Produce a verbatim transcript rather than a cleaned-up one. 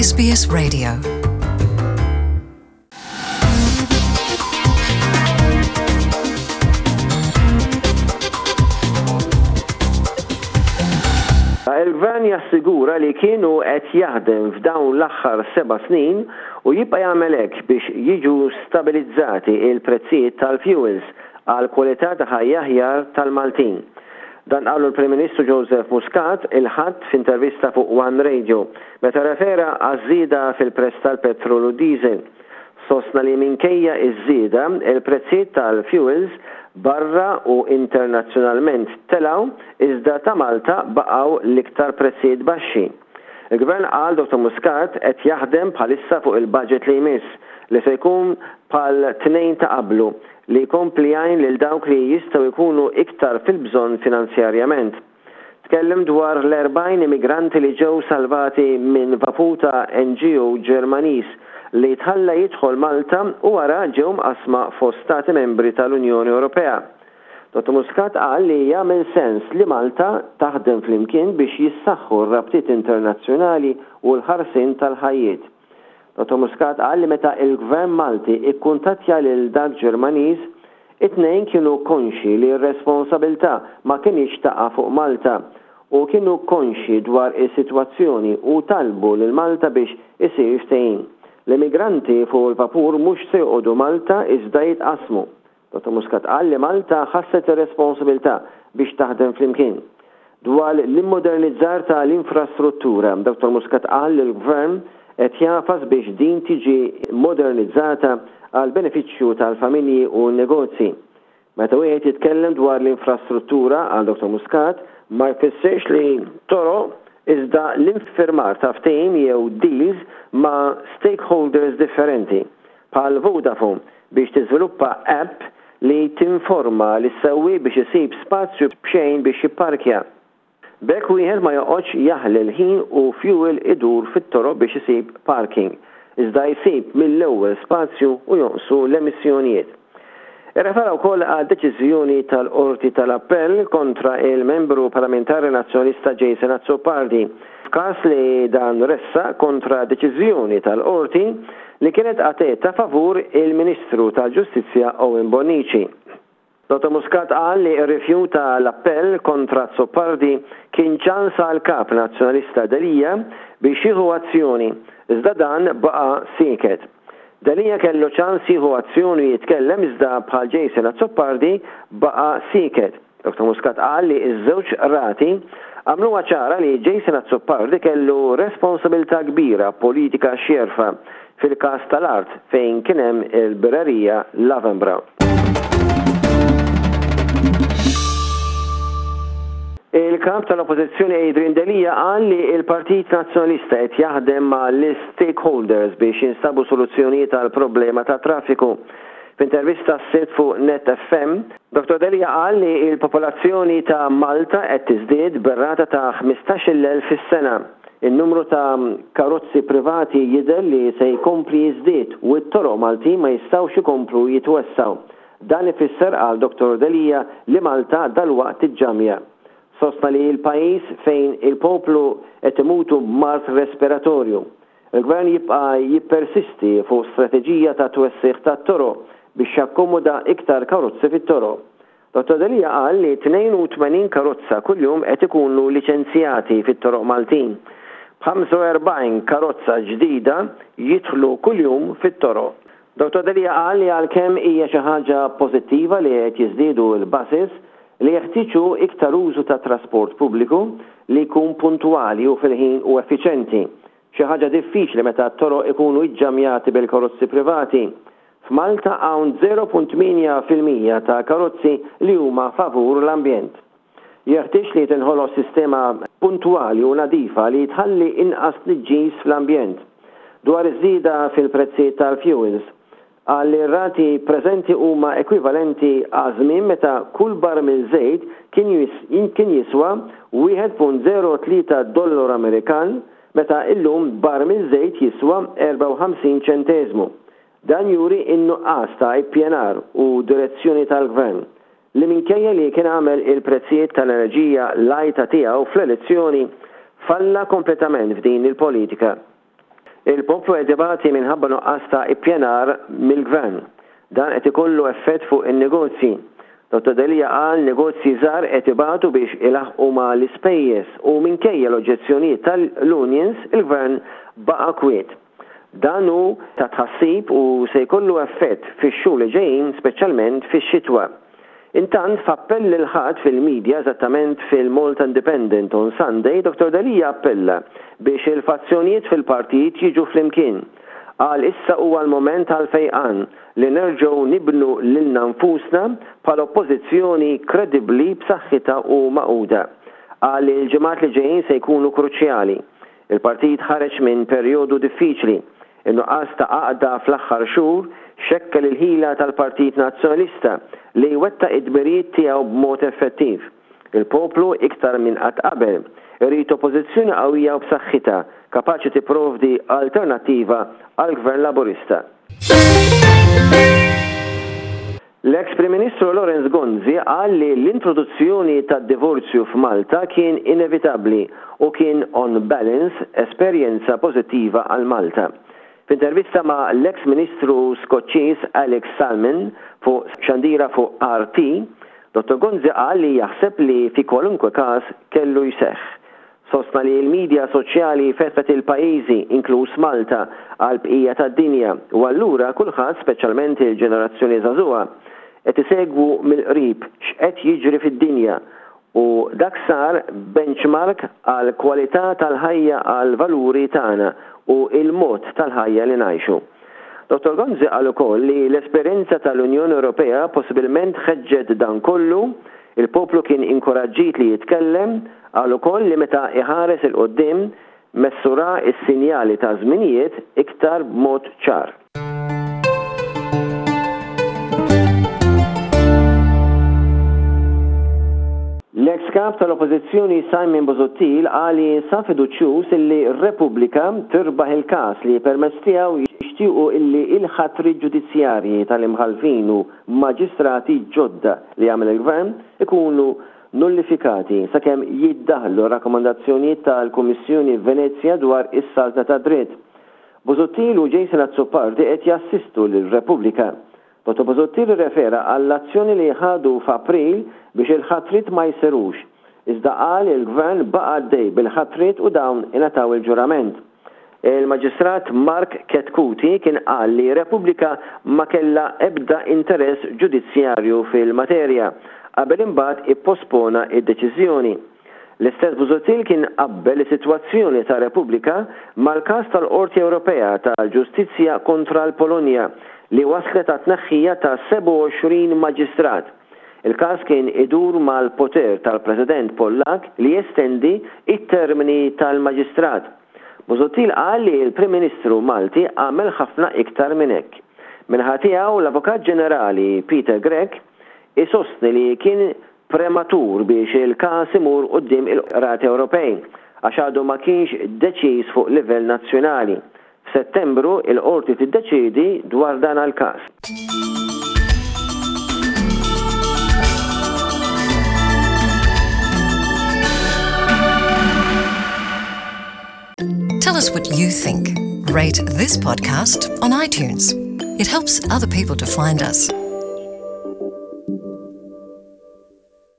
S B S Radio. Il-gvern jassigura li kienu qed jaħdem f'dawn l-aħħar seba' snin u jibqa' jagħmel hekk biex jiġu stabilizzati il-prezzijiet tal-fuels għal kwalità ta' ħajja aħjar tal-Maltin. Dan qalu l-Prim Ministru Joseph Muscat il-Ħadd f'intervista fuq One Radio meta refera għaż-żieda fil-prezz tal-petrol u diesel. Sostna li minkejja iż-żieda, il-prezzijiet tal-fuels barra u internazzjonalment telgħu, iżda ta' Malta baqgħu l-iktar prezzijiet baxxi. Il-Gvern, qal Dottor Muscat, qed jaħdem bħalissa fuq il-budget li jmiss, li se jkun bħal tnejn ta' qablu, li jkompli jgħin lil dawk li jistgħu jkunu iktar fil-bżonn finanzjarjament. Tkellem dwar l-erbgħin immigranti li ġew salvati minn vapur ta' N G O Ġermaniż li tħalla jidħol Malta u wara ġew mqasma fost stati membri tal-Unjoni Ewropea. Dottor Muscat qal li jagħmel sens li Malta taħdem flimkien biex jissaħħu r-rabtiet internazzjonali u l-ħarsin tal-ħajjiet. Dottor Muscat qal li meta il-Gvern Malti ikkuntattja lil dak Ġermaniż, it-tnejn kienu konxi li r-responsabilità ma kinitx taqa' fuq Malta u kienu konxi dwar is-sitwazzjoni u talbu lil Malta biex isir ftehim. L-immigranti fuq il-vapur mhux se joqogħdu Malta, iżda jitqasmu. Dottor Muscat qal li Malta ħasset ir-responsabilità biex taħdem flimkien. Dwar l-immodernizzar tal-infrastruttura, Dottor Muscat qal li l-Gvern qed jagħfas biex din tiġi modernizzata għal benefiċċju tal-familji u n-negozji. Meta wieħed jitkellem dwar l-infrastruttura, qal Dottor Muscat, ma jfissirx li toroq, iżda l-infirmar ta' ftehim jew deals ma' stakeholders differenti, bħal Vodafone biex tiżviluppa app li tinforma lis-sewwieq biex isib spazju b'xejn biex jipparkja. B'hekk wieħed ma joqgħodx jaħli l-ħin u fuel idur fit-toroq biex isib parking, iżda jsib mill-ewwel spazju u jonqsu l-emissjonijiet. Irrefera wkoll għal deċiżjoni tal-Qorti tal-Appell kontra il-membru parlamentari nazzjonalista Jason Azzopardi f'każ li dan ressaq kontra deċiżjoni tal-Qorti li kienet għateta favur il-Ministru tal-Ġustizzja Owen Bonnici. Dottor Muscat qal li rrifjuta l-appell kontra Azzopardi kien ċans għal kap nazzjonalista Delia biex jieħu azzjoni, iżda dan baqa' sieket. Delia kellu ċans jieħu azzjoni, jitkellem, iżda bħal Jason Azzopardi baqa' sieket. Dottor Muscat qal li iż-żewġ rati għamluha ċara li Jason Azzopardi kellu responsabilità kbira politika x'jerfa' fil-każ tal-art fejn kien hemm il-birrerija Lavenbra. Il-kap tal-Oppożizzjoni Adrian Delia qal li il-Partit Nazzjonalista qed jaħdem ma' l-stakeholders biex jinstabu soluzzjonijiet għal problema ta' traffiku. F'intervista s-Sibt fuq Net F M, Dottor Delia qal li il-popolazzjoni ta' Malta qed tiżdied bir-rata ta' ħmistax-il elf fis-sena. Il-numru ta' karozzi privati jidher li se jkompli jiżdied u t-toroq Malti ma jistgħux ikomplu jitwessaw. Dan ifisser, qal Dottor Delia, li Malta dalwaqt tiġġamja. Sostna li il-pajjiż fejn il-poplu qed imutu mard respiratorju. Il-gvern jibqa' jippersisti fuq strateġija ta' twessiħ ta' toroq biex jakkomoda iktar karozzi fit-toroq. Dottor Delia qal li tnejn u tmenin karozza kuljum qed ikunu liċenzjati fit-toroq Maltin, b'ħamsa u erbgħin karozza ġdida jidħlu kuljum fit-toroq. Dottor Delia qal li għalkemm hija xi ħaġa pożittiva li qed jiżdiedu l-buses, li jeħtieġu iktar użu ta' trasport pubbliku li jkun puntwali u fil-ħin u effiċenti. Xi ħaġa diffiċli meta t-toroq ikunu iġġamjati bil-karozzi privati. F'Malta hawn żero punt tmienja fil-mija ta' karozzi li huma favur l-ambjent. Jeħtieġ li tinħoloq sistema puntwali u nadifa li tħalli inqas tniġġis fl-ambjent. Dwar iż-żieda fil-prezzijiet tal-fuels, qal li r-rati preżenti huma ekwivalenti għal żmien meta kull barmil żejt kien jiswa wieħed punt żero tlieta dollaru Amerikan, meta illum barmil żejt jiswa erbgħa u ħamsin ċenteżmu. Dan juri in-nuqqas ta' ippjanar u direzzjoni tal-gvern li, minkejja li kien għamel il-prezzijiet tal-enerġija l-għajta tiegħu fl-elezzjoni, falla kompletament f'din il-politika. Il-poplu qed ibati minħabba nuqqas ta' ippjanar mill-gvern. Dan qed ikollu effett fuq in-negozji. Dottor Delia qal negozji żgħar qed ibatu biex ilaħqu ma' l-ispejjeż u minkejja l-oġġezzjonijiet tal-unions, il-gvern baqa' kwiet. Dan hu ta' tħassib u se jkollu effett fix-xhur li ġejjin, speċjalment fix-xitwa. Intant, f'appell il-Ħadd fil-media, eżattament fil-Malta Independent on Sunday, Dottor Delia appella biex il-fazzjonijiet fil-partit jiġu flimkien. Qal issa huwa l-moment għal fejqan li nerġgħu nibnu lilna nfusna bħala oppożizzjoni kredibbli, b'saħħitha u magħquda. Qal li l-ġimgħat li ġejjin se jkunu kruċjali. Il-partit ħareġ minn perjodu diffiċli. In-nuqqas ta' għaqda fl-aħħar xhur xekkel il-ħila tal-Partit Nazzjonalista li jwettaq id-dmirijiet tiegħu b'mod effettiv. Il-poplu iktar minn qatt qabel irid oppożizzjoni qawwija u b'saħħitha kapaċi tipprovdi alternattiva għall-Gvern Laburista. L-ex Prim Ministru Lawrence Gonzi qal li l-introduzzjoni tad-divorzju f'Malta kien inevitabbli u kien on balance esperjenza pożittiva għal Malta. F'intervista ma' l-ex Ministru Skoċċiż Alex Salmond fuq xandira fuq R T, Dottor Gonzi qal li jaħseb li fi kwalunkwe każ kellu jseħħ. Sostna li l-medja soċjali fetħet il-pajjiżi, inkluż Malta, għal bqija tad-dinja u allura kulħadd, speċjalment il-ġenerazzjoni żagħżugħa, qed isegwu mill-qrib x'qed jiġri fid-dinja u dak sar benchmark għal kwalità tal-ħajja, għal valuri tagħna u il-mod tal-ħajja li ngħixu. Dottor Gonzi qal ukoll li l-esperjenza tal-Unjoni Ewropea possibilment ħeġġet dan kollu, il-poplu kien inkoraġġit li jitkellem. Qal ukoll li meta iħares 'il quddiem messu ra is-sinjali ta' żminijiet iktar b'mod ċar. L-ex kap tal-Oppożizzjoni Simon Busuttil qal li jinsab fiduċjuż illi Repubblika tirbaħ il-każ li permezz tiegħu jixtiequ illi il-ħatri ġudizzjarji tal-imħalfin u maġistrati ġodda li għamel il-gvern ikunu nullifikati sakemm jiddaħlu rakkomandazzjonijiet tal-Kummissjoni Venezja dwar is-saltna ta' dritt. Busuttil u Jason Azzopardi qed jassistu lil Repubblika. Dottor Busuttil refera għall-azzjoni li ħadu f'April biex il-ħatrit ma jsirux. Iżda qal il-gvern baqa' għaddej bil-ħatrit u dawn ingħataw il-ġurament. Il-Maġistrat Mark Chetcuti kien qal li Repubblika ma kella ebda interess ġudizzjarju fil-materja qabel imbagħad ippospona id-deċiżjoni. L-istess Busuttil kien qabbel is-sitwazzjoni ta' Repubblika mal-każ tal-Qorti Ewropea tal-Ġustizzja kontra l-Polonja li waslet għat-tneħħija ta' sebgħa u għoxrin maġistrat. Il-każ kien idur mal-poter tal-President Pollak li jestendi it-termini tal-maġistrat. Busuttil qal li l-Prim Ministru Malti għamel ħafna iktar minn hekk. Min-naħa tiegħu, l-Avukat Ġenerali Peter Grech isostni li kien prematur biex il-każ imur quddiem il-Qrati Ewropej għax għadu ma kienx deċiż fuq livell nazzjonali. F'Settembru il-qorti tiddeċidi dwar dan il-każ. Tell us what you think. Rate this podcast on iTunes. It helps other people to find us.